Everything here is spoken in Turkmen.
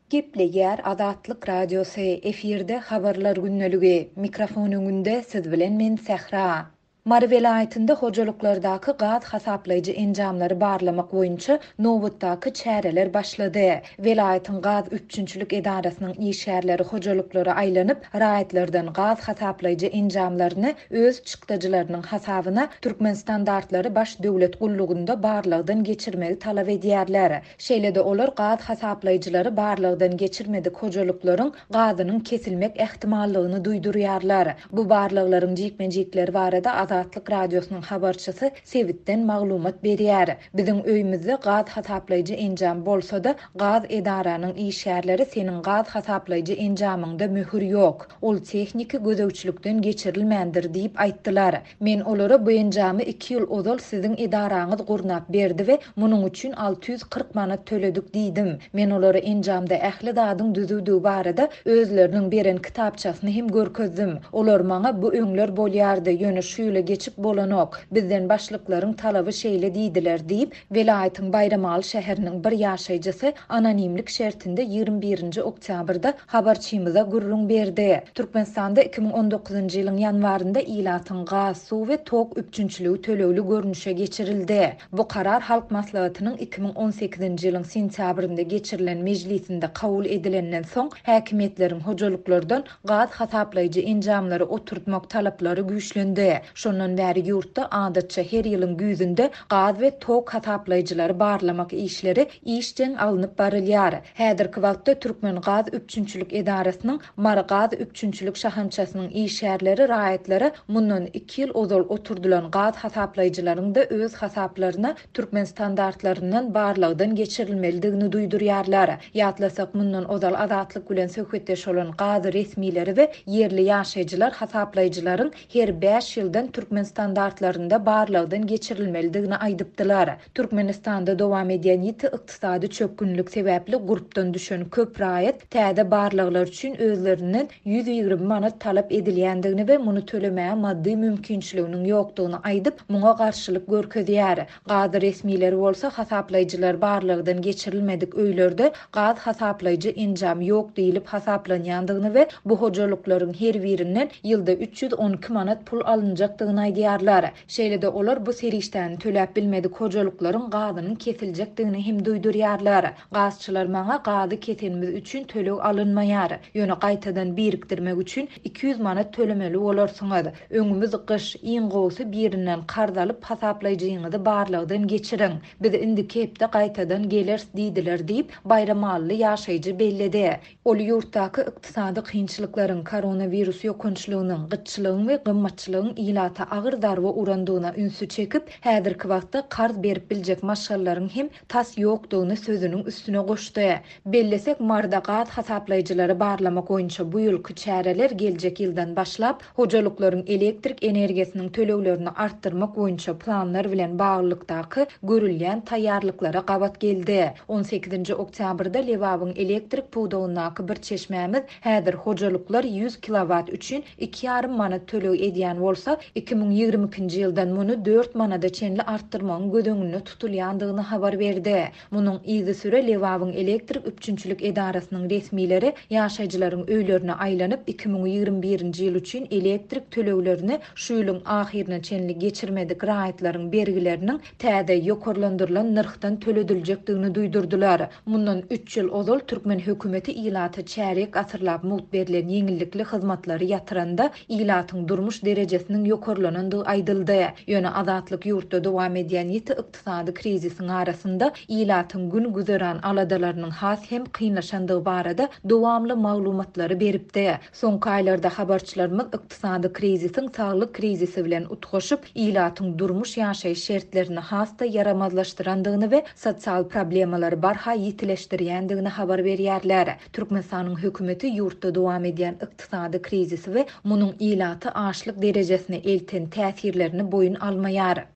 Gepleýär Azatlyk Radiosy, efirde Habarlar gündeligi, mikrofon öňünde siz bilen men Sähra. Mary welaýatynda hojalyklardaky gaz hasaplaýjy enjamlary barlamak boýunça nobatdaky çäreler başlady. Welaýatyň gaz üpjünçilik edarasynyň işgärleri hojalyklara aýlanyp, raýatlardan gaz hasaplaýjy enjamlaryny öz çykdajylarynyň hasabyna Türkmenstandartlary baş döwlet gullugynda barlagdan geçirmegi talap edýärler. Şeýle-de olar gaz hasaplaýjylary barlagdan geçirmedik hojalyklaryň gazynyň kesilmek ähtimallygyny duýdurýarlar. Bu barlaglaryň jikme-jikleri barada Azatlyk Radiosynyň habarçysy sebitden maglumat berýär. Biziň öýümizde gaz hasaplaýjy enjam bolsa-da, gaz edaranyň işgärleri seniň gaz hasaplaýjy enjamyňda möhür ýok, ol tehniki gözegçilikden geçirilmändir diýip aýtdylar. Men olara bu enjamy iki ýyl ozal siziň edaraňyz gurnap berdi we munuň üçin 640 manat töledik diýdim. Men olara enjamda ähli zadyň düzüwdigi barada özleriniň beren kitapçasyny hem görkezdim. Olar maňa bu öňler bolýardy, ýöne şu ýyla geçip bolanok. Bizden başlyklaryň talaby şeýle diýdiler diýip, Welaýatyň Baýramaly şäheriniň bir ýaşaýjysy anonimlik şertinde 21 nji oktýabrda habarçymyza gürrüň berdi. Türkmenistanda 2019-njy ýylyň ýanwarynda ilatyň gaz, suw we tok üpjünçiligi tölegli görnüşe geçirildi. Bu karar Halk Maslahatynyň 2018-nji ýylyň sentýabrynda geçirilen mejlisinde kabul edilenden soň, häkimiýetleriň hojalyklardan gaz hasaplaýjy enjamlary oturtmak talaplary güýçlendi. Şondan bäri ýurtda adatça her ýylyň güýzünde gaz we tok hasaplaýjylary barlamak işleri işjeň alnyp barylýar. Häzirki wagtda Türkmen gaz üpjünçilik edarasynyň Mary gaz üpjünçilik şahamçasynyň işgärleri raýatlara mundan iki ýyl ozal oturdylan gaz hasaplaýjylaryň-da öz hasaplaryna türkmen standartlaryndan barlagdan geçirilmelidigini duýdurýarlar. Ýatlasak, mundan ozal Azatlyk bilen söhbetdeş bolan gaz resmileri we ýerli ýaşaýjylar hasaplaýjylaryň her bäş ýyldan türkmen standartlarynda barlagdan geçirilmelidigini aýdypdylar. Türkmenistanda dowam edýän ýiti ykdysady çökgünlik sebäpli gurpdan düşen köp raýat täze barlaglar üçin özlerinden 120 manat talap edilýändigini we muny tölemäge maddy mümkinçiliginiň ýokdugyny aýdyp, muňa garşylyk görkezýär. Gaz resmileri bolsa hasaplaýjylar barlagdan geçirilmedik öýlerde gaz hasaplaýjy enjam ýok diýlip hasaplanýandygyny we bu hojalyklaryň her birinden ýylda 312 manat pul alynjakdygyny aýdýarlar. Şeýle-de olar bu serişdäni töläp bilmedik hojalyklaryň gazynyň kesiljekdigini hem duýdurýarlar. Gazçylar maňa gazy kesenimiz üçin töleg alynmaýar. Ýöne gaýtadan birikdirmek üçin 200 manat tölemeli bolarsyňyz. Öňümiz gyş, iň gowusy birinden karz alyp hasaplaýjyňyzy barlagdan geçiriň. Biz indiki hepde gaýtadan geleris diýdiler diýip, baýramalyly ýaşaýjy belledi. Ol ýurtdaky ykdysady kynçylyklaryň, koronawirus ýokançlygynyň, gytçylygyň we gymmatçylygyň ilata agyr zarba urandygyna ünsi çekip, häzirki wagtda karz berip biljek maşgalalaryň hem tas ýokdugyny sözüniň üstüne goşdy. Bellesek, Maryda gaz hasaplaýjylary barlamak boýunça bu ýylky çäreler geljek ýyldan başlap, Hojalyklaryň elektrik energiýasynyň töleglerini artdyrmak boýunça planlar bilen baglylykdaky görülýän taýýarlyklara gabat geldi. On sekizinji oktýabrda Lebabyň elektrik pudagyndaky bir çeşmämiz häzir hojalyklar ýüz kilowat üçin iki ýarym manat töleg edýän bolsa, 2022-nji ýyldan muny dört manada çenli artdyrmagyň göz öňünde tutulýandygyny habar berdi. Munuň yzysüre Lebabyň elektrik üpjünçilik edarasynyň resmileri ýaşaýjylaryň öýlerine aýlanyp, 2021-nji ýyl üçin elektrik töleglerini şu ýylyň ahyryna çenli geçirmedik raýatlaryň bergileriniň täze, ýokarlandyrylan nyrhdan tölediljekdigini duýdurdylar. Mundan üç ýyl ozal türkmen hökümeti ilata çärýek asyrlap mugt berlen ýeňillikli hyzmatlary ýatyranda, ilatyň durmuş derejesiniň ýokarlanandygy aýdyldy. Ýöne Azatlyk ýurtda dowam edýän ýiti ykdysady krizisiň arasynda ilatyň gün-güzeran aladalarynyň has hem kynlaşandygy barada dowamly maglumatlary beripdi. Soňky aýlarda habarçylarymyz ykdysady krizisiň saglyk krizisi bilen utgaşyp, ilatyň durmuş-ýaşaýyş şertlerini has-da ýaramazlaşdyrandygyny we sosial problemalary barha ýitileşdirýändigini habar berýärler. Türkmenistanyň hökümeti ýurtda dowam edýän ykdysady krizisi we munuň ilaty açlyk derejesine elten täsirlerini boýun almaýar.